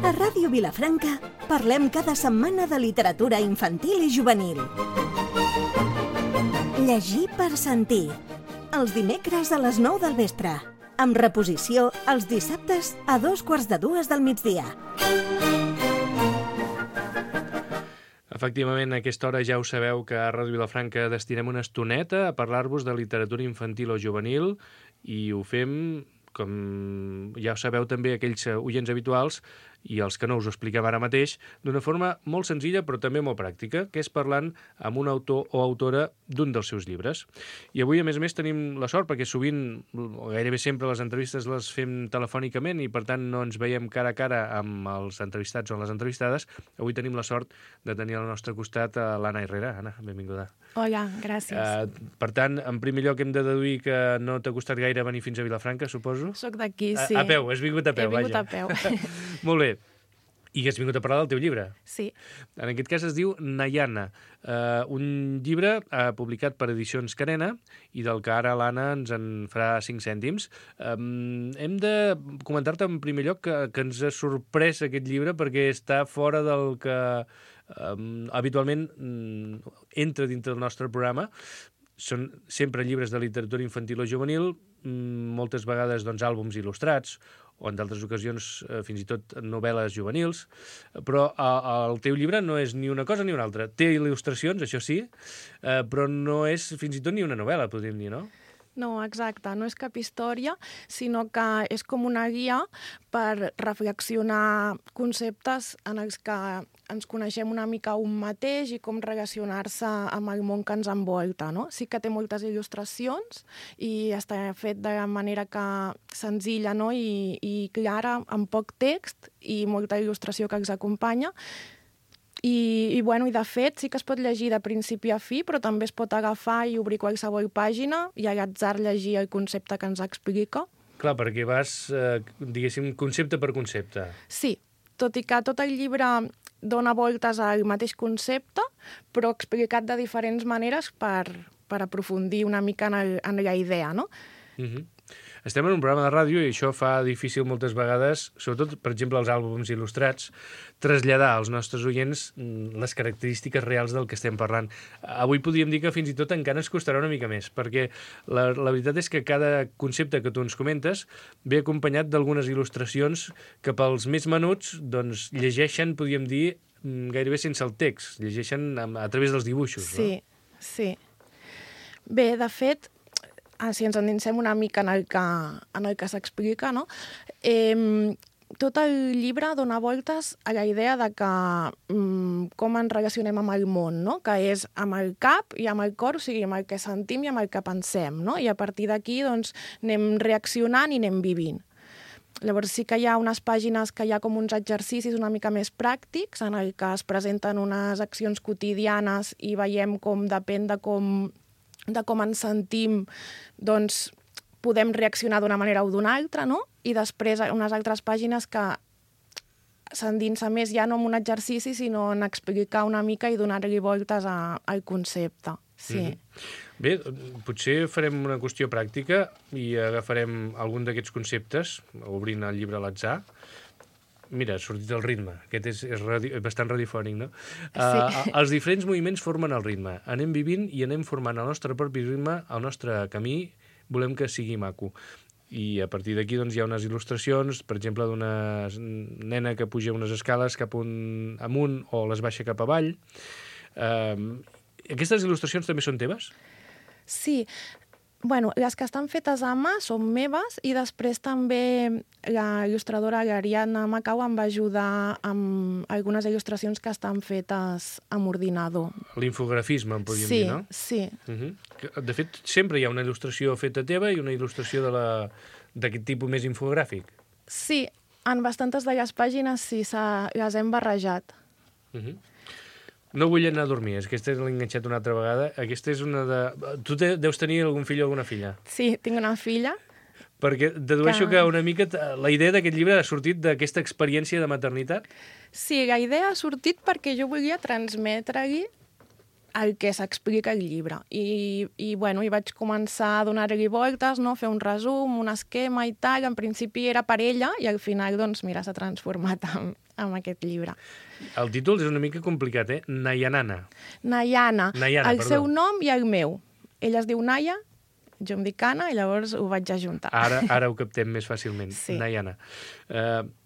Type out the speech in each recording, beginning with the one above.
A Ràdio Vilafranca parlem cada setmana de literatura infantil i juvenil. Llegir per sentir. Els dimecres a les 9 del vespre. Amb reposició els dissabtes a 2:45 del migdia. Efectivament, a aquesta hora ja ho sabeu que a Ràdio Vilafranca destinem una estoneta a parlar-vos de literatura infantil o juvenil i ho fem, com ja ho sabeu també aquells oients habituals i els que no us ho expliquem ara mateix, d'una forma molt senzilla però també molt pràctica, que és parlant amb un autor o autora d'un dels seus llibres. I avui, a més, tenim la sort, perquè sovint, o gairebé sempre, les entrevistes les fem telefònicament i, per tant, no ens veiem cara a cara amb els entrevistats o les entrevistades. Avui tenim la sort de tenir al nostre costat a l'Anna Herrera. Anna, benvinguda. Hola, gràcies. Per tant, en primer lloc hem de deduir que no t'ha costat gaire venir fins a Vilafranca, suposo? Soc d'aquí, sí. A peu, has vingut a peu, vaja. He vingut a peu. Molt bé. I has vingut a parlar del teu llibre. Sí. En aquest cas es diu Nayana, un llibre publicat per Edicions Carena i del que ara l'Anna ens en farà 5 cèntims. Hem de comentar-te en primer lloc que ens ha sorprès aquest llibre perquè està fora del que habitualment entra dintre del nostre programa. Són sempre llibres de literatura infantil o juvenil, moltes vegades àlbums il·lustrats, o en d'altres ocasions fins i tot novel·les juvenils, però el teu llibre no és ni una cosa ni una altra. Té il·lustracions, això sí, però no és fins i tot ni una novel·la, podríem dir, no? No, exacte. No és cap història, sinó que és com una guia per reflexionar conceptes en els que ens coneixem una mica un mateix i com relacionar-se amb el món que ens envolta, no? Sí que té moltes il·lustracions i està fet de manera que senzilla, no? I clara, amb poc text i molta il·lustració que els acompanya. I de fet sí que es pot llegir de principi a fi, però també es pot agafar i obrir qualsevol pàgina i a l'atzar llegir el concepte que ens explica. Clar, perquè vas, diguéssim, concepte per concepte. Sí, tot i que tot el llibre dona voltes al mateix concepte, però explicat de diferents maneres per aprofundir una mica en la idea, no? Estem en un programa de ràdio i això fa difícil moltes vegades, sobretot, per exemple, els àlbums il·lustrats, traslladar als nostres oients les característiques reals del que estem parlant. Avui podríem dir que fins i tot encara ens costarà una mica més, perquè la veritat és que cada concepte que tu ens comentes ve acompanyat d'algunes il·lustracions que pels més menuts llegeixen, podríem dir, gairebé sense el text, llegeixen a través dels dibuixos. Sí, no? Sí. Bé, de fet, si ens endinsem una mica en el que s'explica, no? Tot el llibre dona voltes a la idea de que com ens relacionem amb el món, no? Que és amb el cap i amb el cor, o sigui, amb el que sentim i amb el que pensem, no? I a partir d'aquí anem reaccionant i anem vivint. Llavors sí que hi ha unes pàgines que hi ha com uns exercicis una mica més pràctics en el que es presenten unes accions quotidianes i veiem com depèn de com ens sentim, podem reaccionar d'una manera o d'una altra, no? I després unes altres pàgines que s'endinsa més ja no en un exercici, sinó en explicar una mica i donar-li voltes al concepte. Sí. Bé, potser farem una qüestió pràctica i agafarem algun d'aquests conceptes, obrint el llibre a l'atzar. Mira, ha sortit el ritme. Aquest és bastant radiofònic, no? Sí. Els diferents moviments formen el ritme. Anem vivint i anem formant el nostre propi ritme, el nostre camí, volem que sigui maco. I a partir d'aquí hi ha unes il·lustracions, per exemple, d'una nena que puja unes escales cap amunt o les baixa cap avall. Aquestes il·lustracions també són teves? Sí. Bueno, les que estan fetes a mà són meves i després també la il·lustradora l'Ariadna Macau em va ajudar amb algunes il·lustracions que estan fetes amb ordinador. L'infografisme, en podríem dir, no? Sí. De fet, sempre hi ha una il·lustració feta teva i una il·lustració d'aquest tipus més infogràfic. Sí, en bastantes de les pàgines sí, les hem barrejat. No vull anar a dormir, aquesta l'he enganxat una altra vegada. Aquesta és una de... Tu deus tenir algun fill o alguna filla? Sí, tinc una filla. Perquè dedueixo que una mica la idea d'aquest llibre ha sortit d'aquesta experiència de maternitat? Sí, la idea ha sortit perquè jo volia transmetre-li el que s'explica al llibre. I bueno, hi vaig començar a donar-li voltes, no? Fer un resum, un esquema i tal. En principi era per ella i al final, doncs, mira, s'ha transformat en aquest llibre. El títol és una mica complicat, Nayanana. Nayana. Nayana, el seu nom i el meu. Ella es diu Naya, jo em dic Anna, i llavors ho vaig ajuntar. Ara ho captem més fàcilment, Sí. Nayana.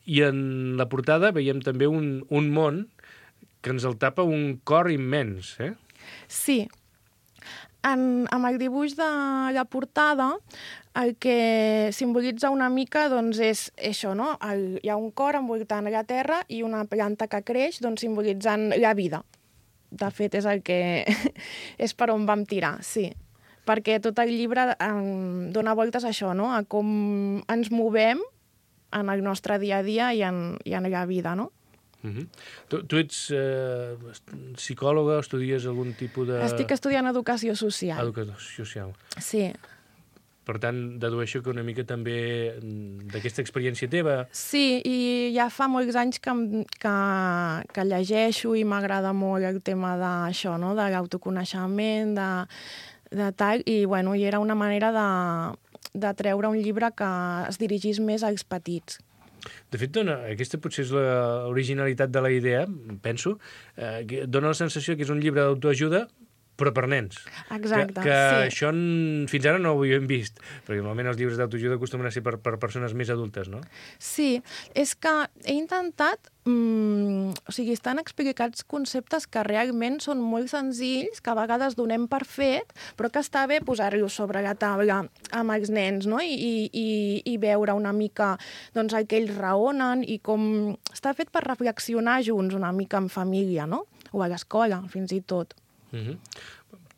I en la portada veiem també un món que ens el tapa un cor immens, Sí. Amb el dibuix de la portada, el que simbolitza una mica doncs, és això, no? Hi ha un cor envoltant la terra i una planta que creix, doncs, simbolitzant la vida. De fet, és el que és per on vam tirar, sí. Perquè tot el llibre dona voltes a això, no? A com ens movem en el nostre dia a dia i en la vida, no? Tu ets psicòloga, estudies algun tipus de... Estic estudiant educació social. Educació social. Sí. Per tant, dedueixo que una mica també d'aquesta experiència teva... Sí, i ja fa molts anys que llegeixo i m'agrada molt el tema d'això, no? De l'autoconeixement, de tal, i bueno, i era una manera de treure un llibre que es dirigís més als petits. De fet, aquesta potser és l'originalitat de la idea, penso, que dona la sensació que és un llibre d'autoajuda, però per nens. Exacte, que sí. Això fins ara no ho havíem vist, perquè normalment els llibres d'autoajuda acostumen a ser per persones més adultes, no? Sí, és que he intentat... o sigui, estan explicats conceptes que realment són molt senzills, que a vegades donem per fet, però que està bé posar-los sobre la taula amb els nens, no? I veure una mica doncs, el que ells raonen i com... Està fet per reflexionar junts una mica en família, no? O a l'escola, fins i tot.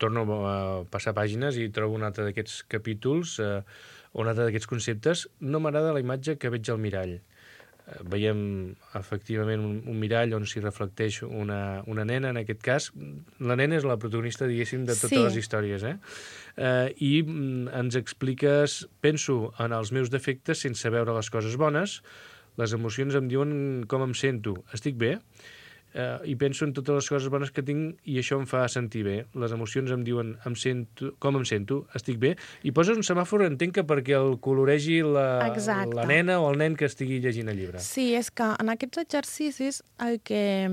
Torno a passar pàgines i trobo un altre d'aquests capítols o un altre d'aquests conceptes. No m'agrada la imatge que veig al mirall. Veiem efectivament un mirall on s'hi reflecteix una nena, en aquest cas. La nena és la protagonista, diguéssim, de totes les històries, I ens expliques, penso en els meus defectes sense veure les coses bones, les emocions em diuen com em sento, estic bé, i penso en totes les coses bones que tinc i això em fa sentir bé. Les emocions em diuen com em sento, estic bé, i poses un semàfor, entenc que perquè el coloregi la nena o el nen que estigui llegint el llibre. Sí, és que en aquests exercicis el que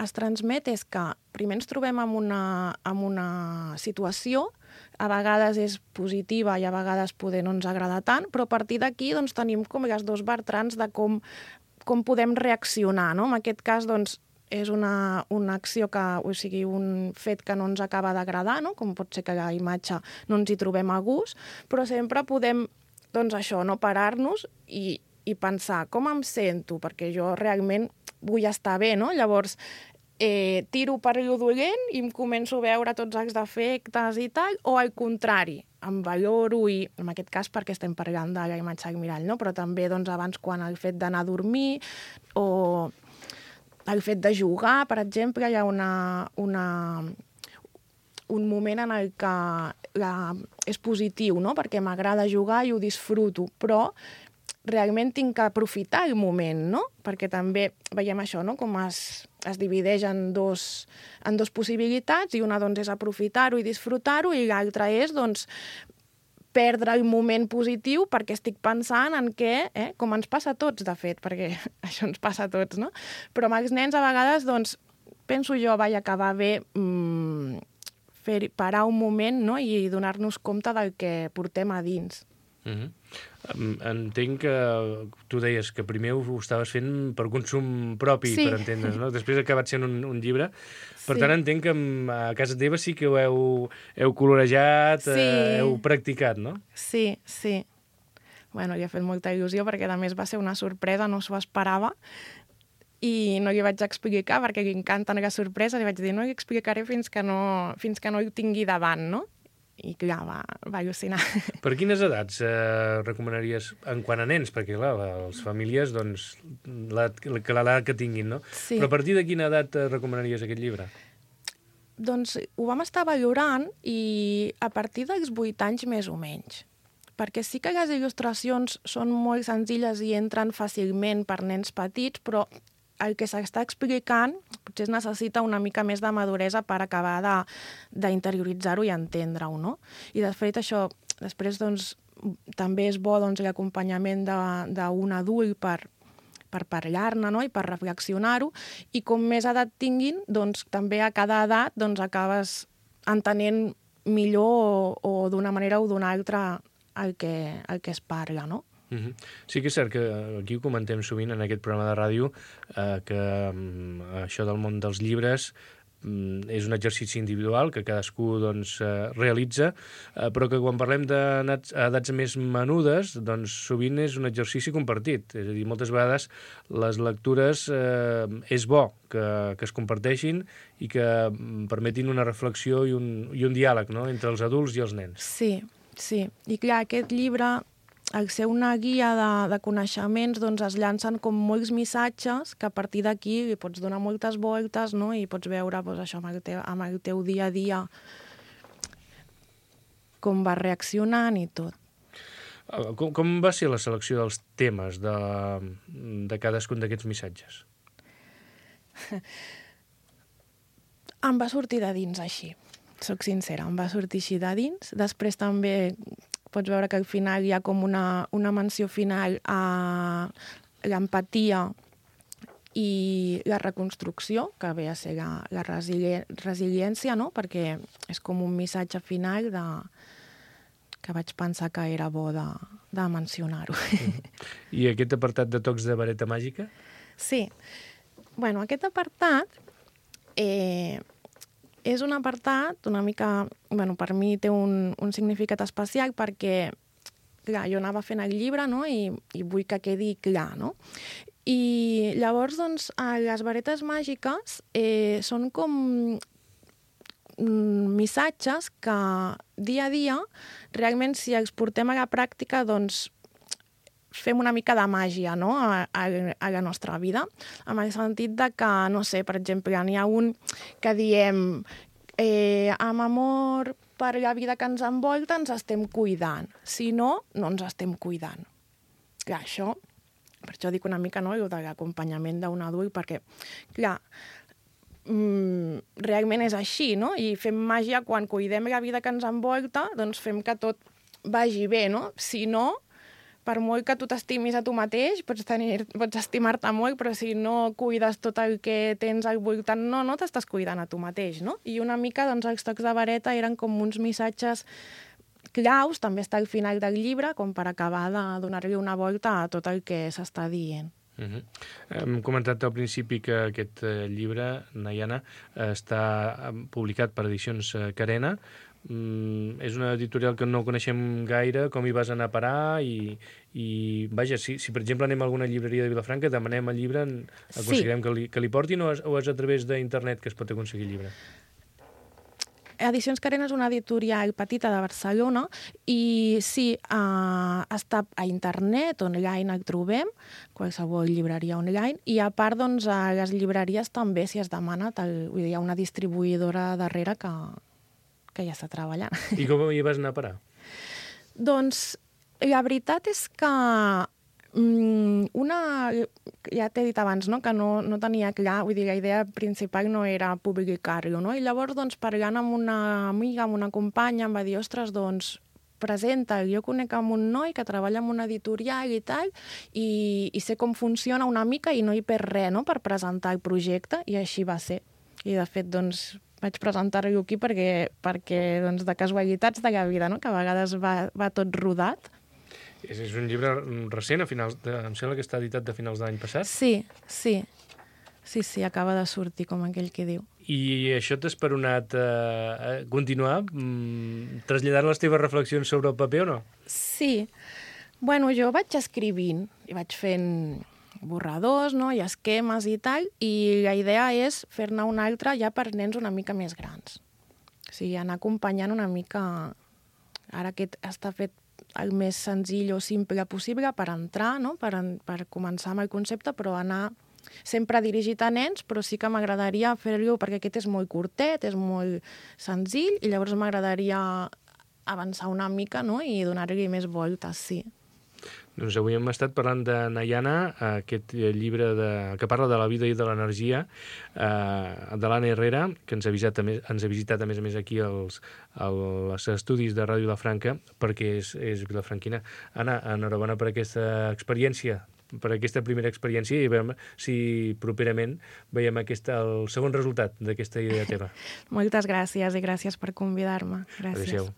es transmet és que primer ens trobem amb una situació, a vegades és positiva i a vegades poder no ens agrada tant, però a partir d'aquí doncs, tenim com les dos bertrans de com podem reaccionar, no? En aquest cas, doncs, és una acció o sigui, un fet que no ens acaba d'agradar, no? Com pot ser que la imatge no ens hi trobem a gust, però sempre podem, doncs això, no parar-nos i pensar com em sento, perquè jo realment vull estar bé, no? Llavors, tiro per allò dolent i em començo a veure tots els defectes i tal, o al contrari, em valoro i, en aquest cas, perquè estem parlant de la imatge al mirall, no? Però també, doncs, abans, quan el fet d'anar a dormir o el fet de jugar, per exemple, hi ha un moment en el que és positiu, no? Perquè m'agrada jugar i ho disfruto, però realment tinc que aprofitar el moment, no? Perquè també veiem això, no? Com es divideix en dos possibilitats, i una doncs, és aprofitar-ho i disfrutar-ho, i l'altra és doncs, perdre el moment positiu perquè estic pensant en què, com ens passa a tots, de fet, perquè això ens passa a tots, no? Però amb els nens, a vegades, doncs, penso jo, que va bé parar un moment, no? I donar-nos compte del que portem a dins. Entenc que tu deies que primer ho estaves fent per consum propi, sí. Per entendre's, no? Després ha acabat sent un llibre. Per tant, entenc que a casa teva sí que ho heu colorejat, heu practicat, no? Sí. Bueno, li ha fet molta il·lusió perquè, a més, va ser una sorpresa, no s'ho esperava, i no li vaig explicar, perquè li encanten les sorpreses, li vaig dir, no li explicaré fins que no ho tingui davant, no? I clar, va al·lucinar. Per quines edats recomanaries en quant a nens? Perquè, clar, les famílies, doncs, l'edat que tinguin, no? Sí. Però a partir de quina edat recomanaries aquest llibre? Doncs ho vam estar valorant i a partir dels 8 anys més o menys. Perquè sí que les il·lustracions són molt senzilles i entren fàcilment per nens petits, però el que s'està explicant, potser es necessita una mica més de maduresa per acabar d'interioritzar-ho i entendre-ho, no? I de fet això, després doncs, també és bo doncs, l'acompanyament d'un adult per parlar-ne, no? I per reflexionar-ho, i com més edat tinguin, doncs també a cada edat doncs, acabes entenent millor o d'una manera o d'una altra el que es parla, no? Sí que és cert que aquí ho comentem sovint en aquest programa de ràdio, que això del món dels llibres és un exercici individual que cadascú doncs, realitza, però que quan parlem d'edats més menudes, doncs sovint és un exercici compartit. És a dir, moltes vegades les lectures és bo que es comparteixin i que permetin una reflexió i un diàleg, no?, entre els adults i els nens. Sí. I clar, aquest llibre, al ser una guia de coneixements, doncs es llancen com molts missatges que a partir d'aquí li pots donar moltes voltes, no? I pots veure doncs, això amb el teu dia a dia com va reaccionant i tot. Com va ser la selecció dels temes de cadascun d'aquests missatges? Em va sortir de dins així, soc sincera, em va sortir així de dins. Després també pots veure que al final hi ha com una menció final a l'empatia i la reconstrucció, que ve a ser la resiliència, no? Perquè és com un missatge final que vaig pensar que era bo de mencionar-ho. I aquest apartat de tocs de vareta màgica? Sí. Bueno, aquest apartat és un apartat una mica... Bueno, per mi té un significat especial perquè, clar, jo anava fent el llibre, no?, i vull que quedi clar, no? I llavors, doncs, les varetes màgiques són com missatges que dia a dia, realment, si els portem a la pràctica, doncs, fem una mica de màgia, no?, a la nostra vida, amb el sentit de que, no sé, per exemple, n'hi ha un que diem amb amor per la vida que ens envolta ens estem cuidant, si no, no ens estem cuidant. Clar, això, per això dic una mica, no?, de l'acompanyament d'un adult, perquè, clar, realment és així, no?, i fem màgia quan cuidem la vida que ens envolta, doncs fem que tot vagi bé, no? Si no, per molt que tu t'estimis a tu mateix, pots estimar-te molt, però si no cuides tot el que tens al voltant, no t'estàs cuidant a tu mateix, no? I una mica, doncs, els tocs de vareta eren com uns missatges claus, també està al final del llibre, com per acabar de donar-li una volta a tot el que s'està dient. Hem comentat al principi que aquest llibre, Nayana, està publicat per Edicions Carena. És una editorial que no coneixem gaire, com hi vas anar a parar i vaja, si per exemple anem a alguna llibreria de Vilafranca, demanem el llibre, aconseguirem que li portin o és a través d'internet que es pot aconseguir el llibre? Edicions Carena és una editorial petita de Barcelona i sí, està a internet, online el trobem, qualsevol llibreria online, i a part, doncs, a les llibreries també, si es demana, vull dir, hi ha una distribuïdora darrere que ja està treballant. I com hi vas anar a parar? Doncs la veritat és que ja t'he dit abans, no?, que no tenia clar, vull dir, la idea principal no era publicar-lo, no? I llavors, doncs, parlant amb una amiga, amb una companya, em va dir, ostres, doncs, presenta'l. Jo conec amb un noi que treballa en una editorial i tal, i sé com funciona una mica i no hi perd res, no?, per presentar el projecte, i així va ser. I, de fet, doncs, vaig presentar-lo aquí perquè doncs, de casualitats de la vida, no?, que a vegades va tot rodat. És un llibre recent, em sembla que està editat de finals de l'any passat? Sí, acaba de sortir, com aquell que diu. I això t'ha esperonat a continuar? Traslladar les teves reflexions sobre el paper o no? Sí. Bueno, jo vaig escrivint i vaig fent borradors, no?, i esquemes i tal, i la idea és fer-ne un altre ja per nens una mica més grans. O sigui, anar acompanyant una mica... Ara aquest està fet el més senzill o simple possible per entrar, no?, per començar amb el concepte, però anar sempre dirigit a nens, però sí que m'agradaria fer-lo, perquè aquest és molt curtet, és molt senzill, i llavors m'agradaria avançar una mica, no?, i donar-li més voltes, sí. Doncs avui hem estat parlant de Nayana, aquest llibre que parla de la vida i de l'energia, de l'Anna Herrera, que ens ha visitat a més aquí als estudis de Ràdio Vilafranca, perquè és vilafranquina. Anna, enhorabona per aquesta experiència, per aquesta primera experiència, i veiem si properament veiem el segon resultat d'aquesta idea teva. Moltes gràcies i gràcies per convidar-me. Gràcies. Adéu-siau.